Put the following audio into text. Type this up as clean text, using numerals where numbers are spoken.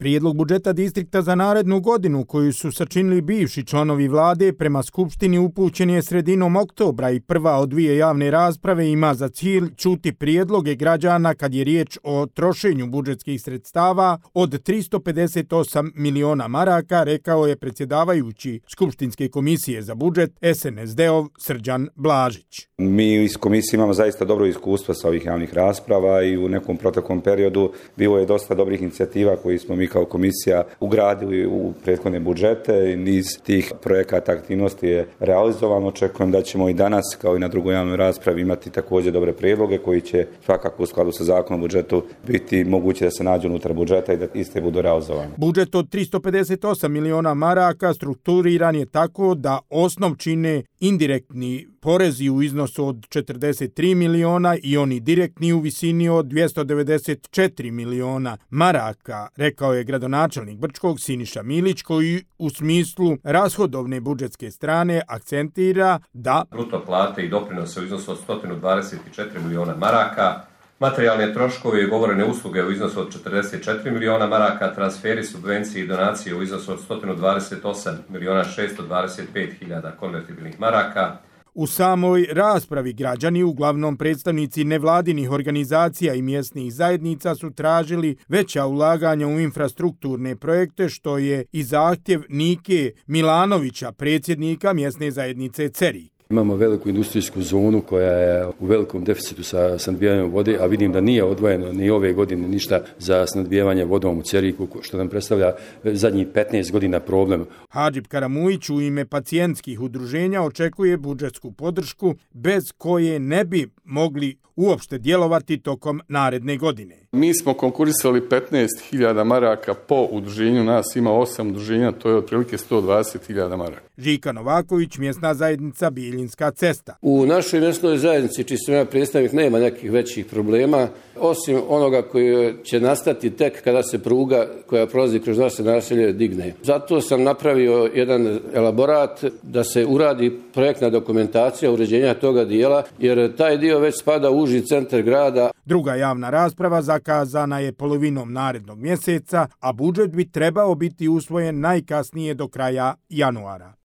Prijedlog budžeta distrikta za narednu godinu koju su sačinili bivši članovi vlade prema Skupštini upućen je sredinom oktobra i prva od dvije javne rasprave ima za cilj čuti prijedloge građana kad je riječ o trošenju budžetskih sredstava od 358 miliona maraka, rekao je predsjedavajući Skupštinske komisije za budžet SNSD-ov Srđan Blažić. Mi iz komisije imamo zaista dobro iskustvo sa ovih javnih rasprava i u nekom proteklom periodu bilo je dosta dobrih inicijativa koji smo mi kao komisija ugradili u prethodne budžete i niz tih projekata aktivnosti je realizovano. Očekujem da ćemo i danas kao i na drugoj javnoj raspravi imati također dobre prijedloge koji će svakako u skladu sa zakonom o budžetu biti moguće da se nađu unutar budžeta i da iste budu realizovane. Budžet od 358 miliona maraka strukturiran je tako da osnov čine indirektni porezi u iznosu od 43 miliona i oni direktni u visini od 294 miliona maraka, rekao je gradonačelnik Brčkog Siniša Milić, koji u smislu rashodovne budžetske strane akcentira da bruto plate i doprinose u iznosu od 124 miliona maraka, materijalne troškove i ugovorene usluge u iznosu od 44 miliona maraka, transferi, subvencije i donacije u iznosu od 128 miliona 625 hiljada konvertibilnih maraka. U samoj raspravi građani, uglavnom predstavnici nevladinih organizacija i mjesnih zajednica, su tražili veća ulaganja u infrastrukturne projekte, što je i zahtjev Nike Milanovića, predsjednika mjesne zajednice Cerik. Imamo veliku industrijsku zonu koja je u velikom deficitu sa snadbijanjem vode, a vidim da nije odvojeno ni ove godine ništa za snadbijevanje vodom u Ceriku, što nam predstavlja zadnjih 15 godina problem. Hadžib Karamujić u ime pacijentskih udruženja očekuje budžetsku podršku bez koje ne bi mogli uopšte djelovati tokom naredne godine. Mi smo konkurisali 15.000 maraka po udruženju, nas ima 8 udruženja, to je otprilike 120.000 maraka. Žika Novaković, mjesna zajednica Bijeljinska cesta. U našoj mjesnoj zajednici, čiji sam ja predstavnik, nema nekih većih problema, osim onoga koji će nastati tek kada se pruga koja prolazi kroz naše naselje digne. Zato sam napravio jedan elaborat da se uradi projektna dokumentacija uređenja toga dijela, jer taj dio već spada u uži centar grada. Druga javna rasprava zakazana je polovinom narednog mjeseca, a budžet bi trebao biti usvojen najkasnije do kraja januara.